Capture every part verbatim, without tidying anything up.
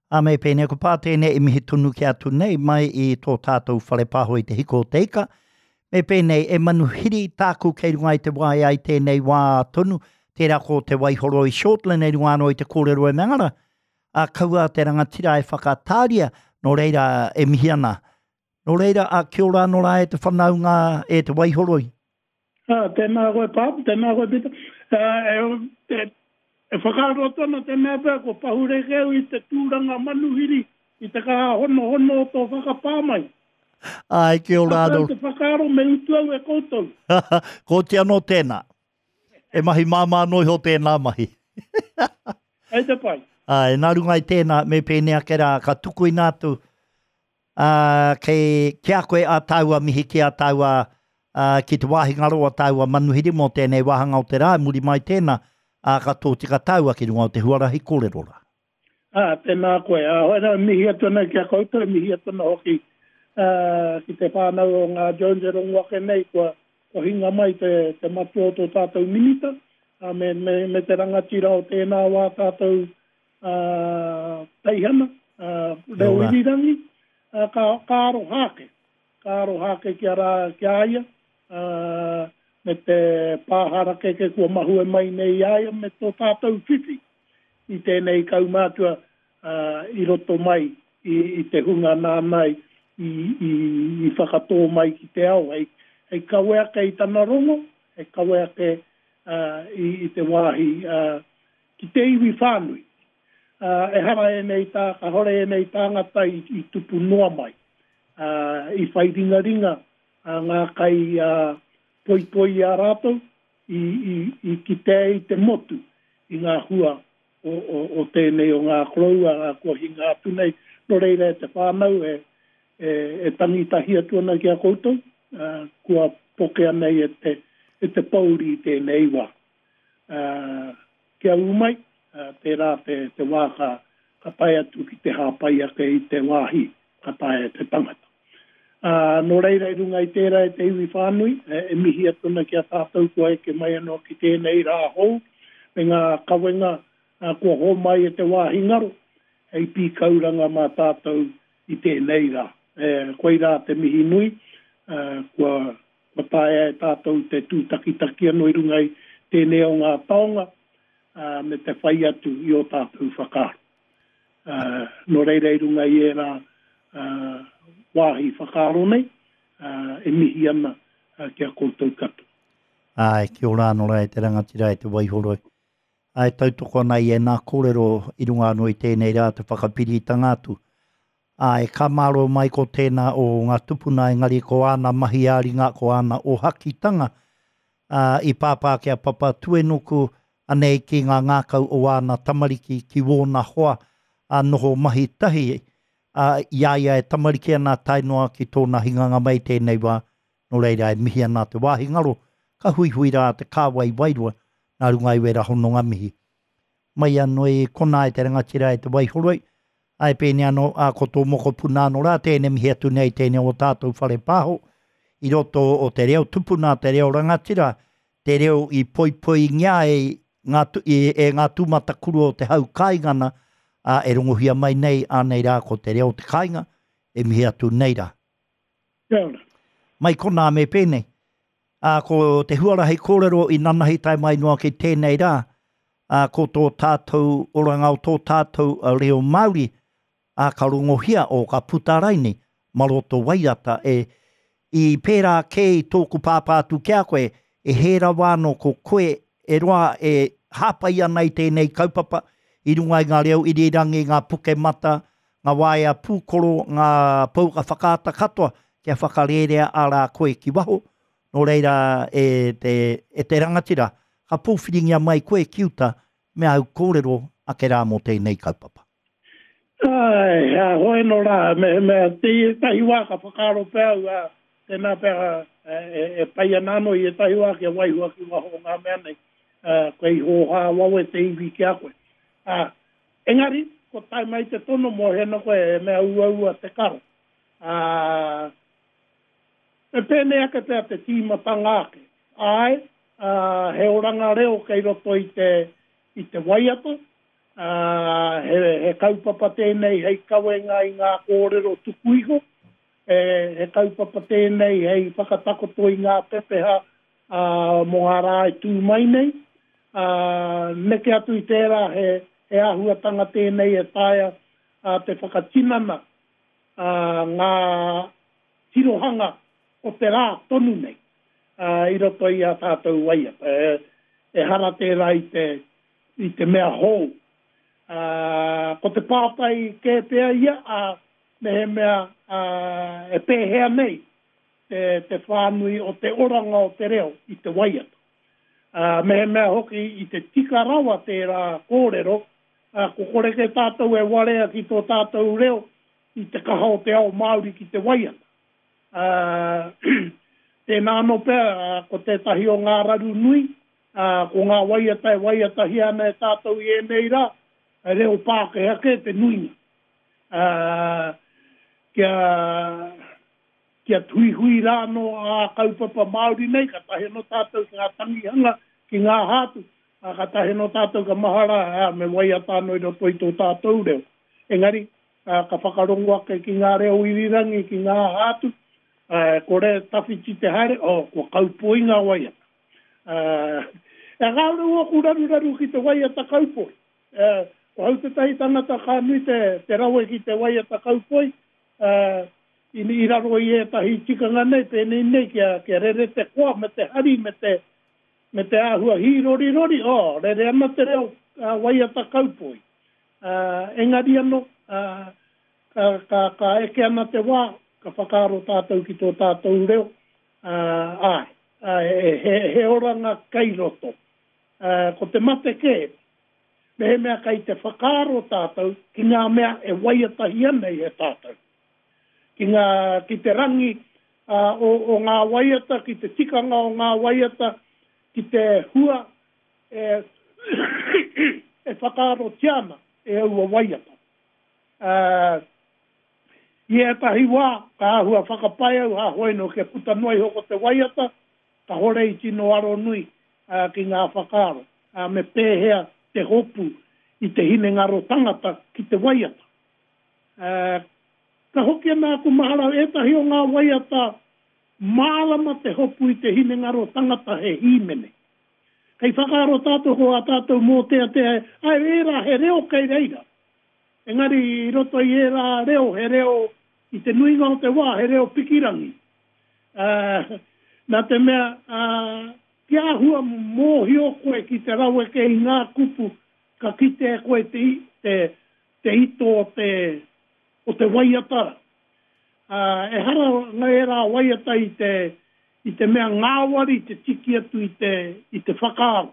A me pēnei ko pā tēnei e mihi tonu ki atu nei mai i tō tātou whare pāho i te hiko o te ika. Me pēnei e manuhiri tāku kei runga i te waea i tēnei wā tonu, tērā ko te Waihoroi Shortland e runga anō i te kōrero e mea ana, a kaua te rangatira e whakatāria, nō reira e mihi ana. Nō reira, a kia ora anō rā e te whanaunga e te Waihoroi. Ah, tēnā koe Pam, tēnā koe Peter. Uh, e, e, e whakaaro atu ana te mea pea ko pahure au i te tūranga manuhiri i te kaha honohono o tō whakapā mai. Ai, kia ora anō. Te whakaaro me utu au e koutou. Ko te anō tēnā. E mahi māmā anō iho tēnā mahi. Hei te pai. Ai, nā runga i tēnā, me pēnei ake rā, ka tukuina atu uh, kei, ki a koe a tāua mihi ki a tāua uh, ki te wāhi ngaro a tāua manuhiri mō tēnei wāhanga o te rā, muri mai tēnā, ā, ka tōtika tāua ki runga o te huarahi kōrero rā. Ā, tēnā koe. Ā, hoi rā, mihi atu ana ki a koutou, mihi atu ana hoki uh, ki te whānau o ngā Jones e rongo ake nei, kua, kua hinga mai te, te matua o tō tātou minita, ā, me, me, me te rangatira o tēnā wā tātou uh, teihana, uh, reo irirangi, uh, ka, ka aroha ake, ka aroha ake ki a, rā, ki a ia, uh, me te pāharakeke kua mahue mai nei i a ia, me tō tātou whiwhi i tēnei kaumātua uh, i roto mai i, i te hunga nāna i, i, i whakatō mai ki te ao. Hei, hei kawe ake i tana rongo, hei kawe ake uh, i, i te wāhi uh, ki te iwi whānui. Uh, ehara ēnei tā, kāhore ēnei tāngata i, i tupu noa mai. Uh, i whai ringaringa uh, ngā kai uh, poipoi i a rātou, i, i, i kitea i te motu i ngā hua o, o, o tēnei o ngā koroua ngā kua hinga atu nei. Nō reira e te whānau e, e, e tangitahi atu ana ki a koutou, uh, kua pokea nei e te, e te pouri i tēnei wā. Uh, kia ū mai, uh, tērā te, te wā ka, ka tae atu ki te hāpai ake i te wāhi ka taea e te tangata. Uh, nō reira i runga i tērā e te iwi whānui, e, e mihi atu ana ki a tātou kua eke mai anō ki tēnei rā hou, me ngā kawenga uh, kua hōmai e te wāhi ngaro, hei pīkauranga mā tātou i tēnei rā. E, koirā te mihi nui, uh, kua, kua taea e tātou te tūtakitaki anō i runga i tēnei o ngā taonga, uh, me te whai atu i o tātou whakaaro. Uh, nō reira i runga i ērā uh, wāhi whakaaro nei, uh, e mihi ana uh, ki a koutou katoa. Ai, kia ora anō rā e te rangatira e te Waihoroi. Ai, tautoko ana i ēnā kōrero i runga anō i tēnei rā te whakapiritanga atu. Ai, ka māro mai ko tēnā o ngā tupuna engari ko āna mahi ā-ringa, ko āna ohakitanga, uh, i pāpā ki a Papatūānuku, anei ki ngā ngākau o āna tamariki, ki wōna hoa, a noho mahi tahi, uh, i a ia e tamariki ana tae noa ki tōna hinganga mai tēnei wā, nō reira e mihi ana te wāhi ngaro, ka huihui rā te kāwai wairua, nā runga i wera hononga mihi. Mai anō i konā e te rangatira e te Waihoroi, ai pēnei anō, a ko tō mokopuna anō rā, tēnei mihi atu nei tēnei o tātou whare pāho, i roto o te reo tupuna, te reo rangatira, te reo i poipoingia e ngā, i, e ngā tūmatakuru o te hau kāingana, a, e rongohia mai nei, ānei rā ko te reo te kāinga, e mihi atu nei rā. Kia ora. Mai konā me pēnei. A, ko te huarahi kōrero i nanahi tae mai noa ki tēnei rā, a, ko tō tātou oranga o tō tātou reo Māori, a, ka rongohia o ka puta raini, maroto waiata e i pērā kē i tōku pāpā atu ki a koe, e hē rawa anō ko koe e roa e hāpai ana i tēnei kaupapa, i runga i ngā reo irirangi, ngā pukemata, ngā waea pūkoro, ngā pouaka whakaata katoa, kia whakarērea ārā koe ki waho. Nō reira e te, e te rangatira, ka pōwhiringia mai koe ki uta me au kōrero ake rā mō tēnei kaupapa. Ai, a hoi no rā, me, me te tahi wā ka whakaaro pea au, a, tēnā pea e, e, e pai ana anō i ētahi wā kia waihua ki waho o ngā mea nei, uh, kei hōhā wawe te iwi ki a koe. Uh, engari, ko tae mai te tono mō hena koe e mea uaua te karo. Uh, me pēnei ake pea te tīmatanga ake. Ai, uh, he oranga reo kei roto i te, i te waiata, Ā, he, he kaupapa tēnei hei kawenga i ngā kōrero tuku iho, he, he kaupapa tēnei hei whakatakoto i ngā pepeha ā, mō ngā rā e tū mai nei. Ā, neke atu i tērā, he, he āhuatanga tēnei e taea ā, te whakatinana ā, ngā tirohanga o te rā tonu nei ā, i roto i ā tātou waiata. E, ehara tērā i te, i te mea hou. Ā, ko te pātai kē pea ia, ā, mehemea ā, e pēhea nei te, te whānui o te oranga o te reo i te waiata. Ā, mehemea hoki i te tika rawa tērā kōrero, ā, ko kore kē tātou e warea ki tō tātou reo i te kaha o te ao Māori ki te waiata. Ā, tēnā anō pea, ā, ko tētahi o ngā raru nui, ā, ko ngā waiata e waiatahia ana e tātou i ēnei rā, he reo Pākehā kē te nuinga. Ā, kia, kia huihui rā anō ā kaupapa Māori nei, ka tahi anō tātou ki ngā tangihanga, ki ngā hātu, ā, ka tahi anō tātou ka mahara, ā, me waiata anō i roto i tō tātou reo. Engari, ā, ka whakarongo ake ki ngā reo irirangi, ki ngā hātu, ā, e kore e tawhiti te haere, oh, kua kaupoi ngā waiata. Ā, e kāore ōku raruraru ki te waiata kaupoi. Ā, ko hau tētahi tangata ka nui te, te rawe ki te waiata kaupoi, ā, i, i raro i ētahi tikanga nei, pēnei nei, kia, kia rere te koa me te hari me te, me te āhua hīrorirori, oh, rere ana te reo ā, waiata kaupoi. Ā, engari anō, ā, ka, ka, ka eke ana te wā, ka whakaaro tātou ki tō tātou reo, ā, āe, āe, he, he oranga kei roto. Ā, ko te mate kē, mehemea kei te whakaaro tātou ki ngā mea e waiatahia nei e tātou, ki ngā, ki te rangi ā, o, o ngā waiata, ki te tikanga o ngā waiata, ki te hua e, e whakaarotia ana e aua waiata. Ā, i ētahi wā, ka āhua whakapae au, ā, hoi nō kia puta noa iho ko te waiata, kāore i tino aro nui ā, ki ngā whakaaro, ā, me pēhea te hopu i te hinengaro tangata ki te waiata. Ā, ka hoki ana aku mahara ētahi o ngā waiata mārama te hopu i te hinengaro tangata he hīmene. Kei whakaaro tātou ko ā tātou mōteatea, āe, ērā he reo kei reira. Engari i roto i ērā reo, he reo, i te nuinga o te wā, he reo pikirangi. Ā, nā te mea, ā, kia āhua mōhio koe ki te raweke i ngā kupu, ka kite e koe te, te, te ito o te, o te waiata. Ā, ehara ērā waiata i te, i te mea ngāwari te tiki atu i te, i te whakaaro.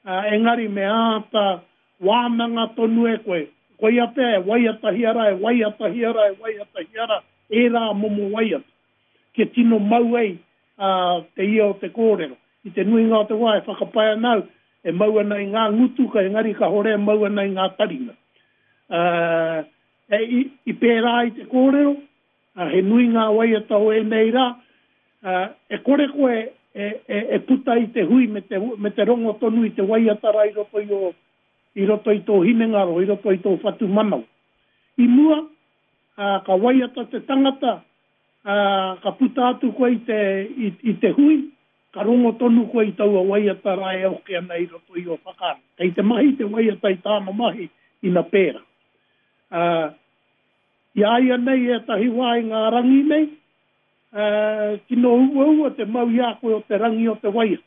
Ā, engari me āta wānanga tonu e koe. Koia pea e waiatahia rā, e waiatahia rā, e waiatahia rā ērā momo waiata. Kia tino mau ai ā, te ia o te kōrero. I te nuinga o te wā e whakapae ana au, e mau ana i ngā ngutu, ka engari kāore e mau ana i ngā taringa. Ā, e, i, i pērā i te kōrero, ā, he nui ngā waiata o ēnei rā, ā, e kore koe e, e, e puta i te hui me te, me te rongo tonu i te waiata rā i roto i ō, i roto i tō hinengaro, i roto i tō whatumanawa. I mua, ā, ka waiata te tangata, ā, ka puta atu koe i te, i, i te hui, ka rongo tonu koe i taua waiata rā e oke ana i roto i ō whakaaro. Kei te mahi te waiata i tāna mahi ina pērā. Ā, i a ia nei ētahi wā i ngā rangi nei, ā, tino uaua te mau i a koe o te rangi o te waiata.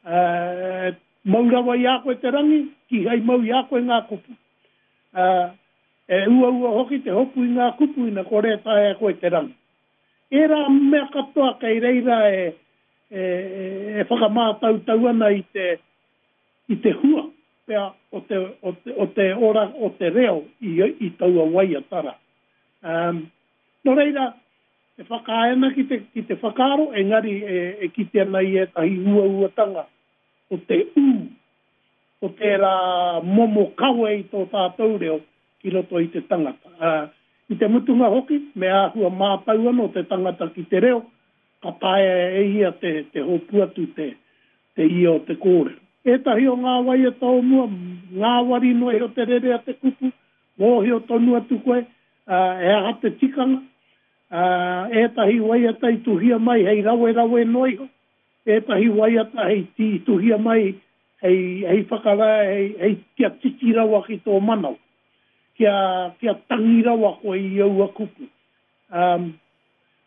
Ā, mau rawa i a koe te rangi, kīhai mau i a koe ngā kupu. Ā, e uaua hoki te hopu i ngā kupu ina kore e taea e koe te rangi. Ērā mea katoa kei reira e, e, e whakamātautau ana i te, i te hua pea o te, o te, o te ora o te reo i, i taua waiata rā. Um, nō reira, e whakaae ana ki te, ki te whakaaro, engari e, e kite ana i ētahi uauatanga o te ū o tērā momo kawe i tō tātou reo ki roto i te tangata. Ā, i te mutunga hoki, me āhua mātau anō te tangata ki te reo, ka taea e ia te, te hopu atu te, te ia o te kōrero. Ētahi o ngā waiata o mua, ngāwari noa iho te rere a te kupu, mōhio tonu atu koe, ā, he aha te tikanga. Ā, ētahi waiata i tuhia mai hei rawerawe noa iho, ētahi waiata hei i tuhia mai hei, hei whakara, hei, hei kia titi rawa ki tō manawa, kia, kia tangi rawa koe i aua kupu. Ā,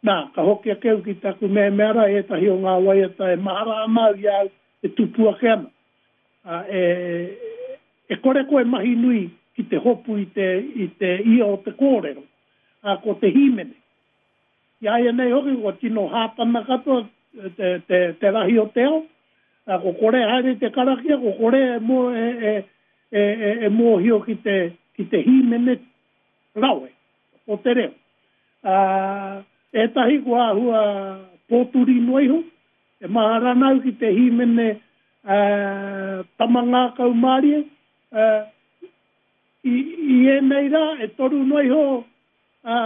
nā, ka hoki ake au ki taku mea rā, ētahi o ngā waiata e mahara ana au i a au e tupu ake ana. Ā, e, e kore koe mahi nui ki te hopu i te, i te ia o te kōrero, ā, ko te hīmene. I a ia nei hoki, kua tino hātana katoa te, te, te rahi o te ao, ā, ko kore haere te karakia, ko kore e, mō, e, e, e, e, e mōhio ki te, ki te hīmene rawe o te reo. Ā, ētahi kua āhua pōturi noa iho, e mahara ana au ki te hīmene ā, Tama Ngākau Mārie, ā, i, i ēnei rā e toru noa iho ā,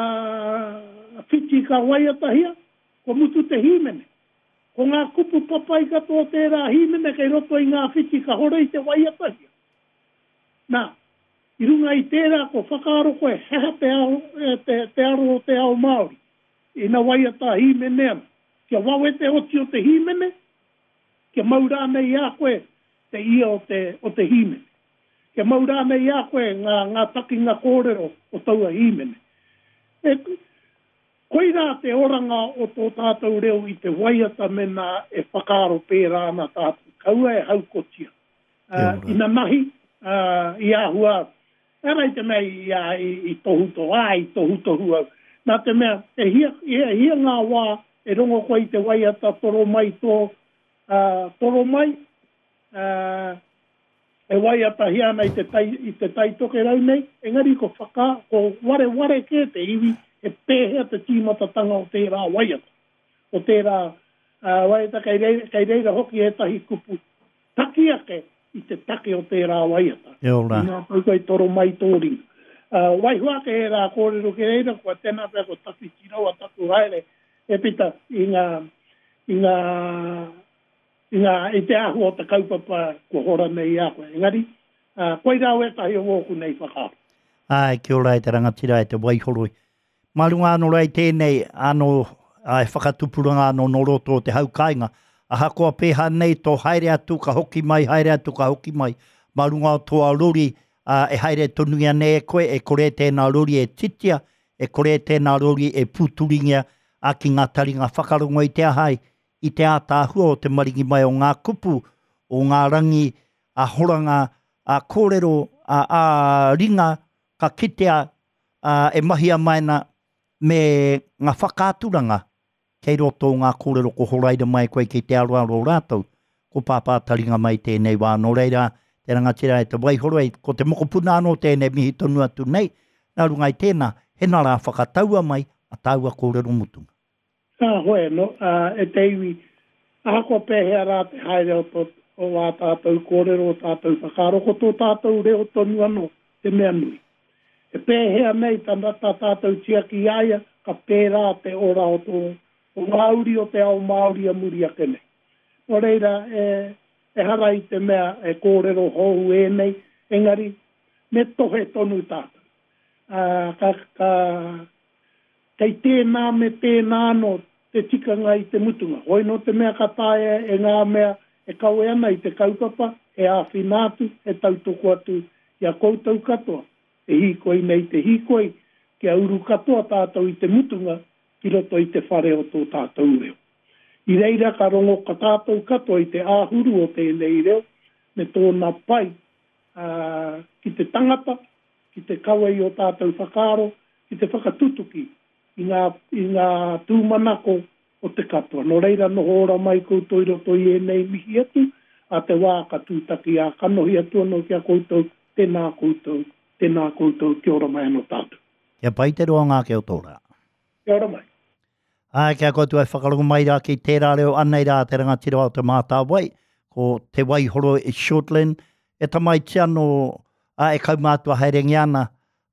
whiti ka waiatahia, kua mutu te hīmene. Ko ngā kupu papai katoa o tērā hīmene kei roto i ngā whiti ka hora i te waiatahia. Nā, i runga i tērā ko whakaaro koe he aha te, ao, te, te aro o te ao Māori ina waiata hīmene ana. Kia wawe te oti o te hīmene, kia mau rānei i a koe te ia o te, o te hīmene. Kia mau rānei i a koe ngā, ngā takinga kōrero o taua hīmene. E, koirā te oranga o tō tātou reo i te waiata mēnā e whakaaro pērā ana tātou. Kaua e haukotia. Uh, inanahi, uh, i āhua, ehara i te mea i, i, i tohutohu, ā, i tohutohu au. Nā te mea, e hia, e hia ngā wā e rongo koe i te waiata toro mai tō, uh, toro mai, uh, e waiatahia ana i te tai, i te Tai Tokerau nei, engari ko whaka, ko wareware kē te iwi e pēhea te tīmatatanga o tērā waiata, o tērā uh, waiata kei reira, kei reira hoki ētahi kupu taki ake i te take o tērā waiata. E ora. I ngā tau kei toro mai tō ringa. Uh, waiho ake ērā kōrero ki reira, kua tēnā pea ko tawhiti rawa taku haere e Pita i ngā, i ngā, i ngā, i te āhua o te kaupapa kua hora nei i a koe. Engari, uh, koirā wētahi o ōku nei whakaaro. Āe, kia ora e te rangatira e te Waihoroi. Mā runga anō rā i tēnei, anō, āe, whakatupuranga anō nō roto o te hau kāinga. Ahakoa pēhā nei tō haere atu ka hoki mai, haere atu ka hoki mai, mā runga o tō rori, ā, e haere tonungia nei e koe, e kore tēnā rori e titia, e kore tēnā rori e pūturingia, ā, ki ngā taringa whakarongo i te aha ai, i te ātaahua o te maringi mai o ngā kupu, o ngā rangi, ā horanga, ā kōrero, ā, ā ringa, ka kitea, ā, e mahia mai ana me ngā whakaaturanga kei roto o ngā kōrero ko horaira mai koe ki te aroaro o rātou, ko Pāpā Taringa mai tēnei wā. Nō reira, te rangatira e te Waihoroi, ko te mokopuna anō tēnei mihi tonu atu nei, nā runga i tēnā, hena rā whakataua mai a tāua kōrero mutunga. Ka hoe no, uh, e te iwi, ahakoa pēhea rā te haere o, to, o ā tātou kōrero, o tātou whakaaro, ko tō tātou reo tonu anō te mea nui. E pēhea nei tā, tā tātou tiaki i a ia, ka pērā te ora o tō, o ngā uri o te ao Māori a muri ake nei. Nō reira, e, ehara i te mea e kōrero hou ēnei, engari me tohe tonu tātou. Uh, ka, ka, kei tēnā me tēnā anō te tikanga i te mutunga. Hoi nō te mea ka taea e ngā mea e kawe ana i te kaupapa, e āwhina atu, e tautoko atu i a koutou katoa. E hīkoi nei te hīkoi, kia uru katoa tātou i te mutunga ki roto i te whare o tō tātou reo. I reira ka rongo ka tātou katoa i te āhuru o tēnei reo me tōna pai uh, ki te tangata, ki te kawe i o tātou whakaaro, ki te whakatutuki i ngā, i ngā tūmanako o te katoa. Nō reira noho ora mai koutou i roto i ēnei mihi atu, a te wā ka tūtaki a kanohi atu anō ki a koutou, tēnā koutou, tēnā koutou, kia ora mai anō tātou. Kia pai te roanga ake o tō rā. Kia ora mai. Āe, kia koutou e whakarongo mai rā ki tērā reo anei rā te rangatira o Te Mātāwai, ko Te Waihoroi Shortland, e tamaiti anō, ā, e kaumātua haerengia ana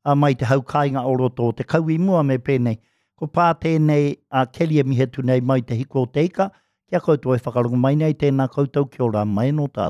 a mai te hau kāinga o roto o te kau i mua me pēnei. Ko pā tēnei a Kelly e mihi atu nei mai te hiko o te ika, kia koutou e whakarongo mai nei, tēnā koutou, kia ora mai anō tātou.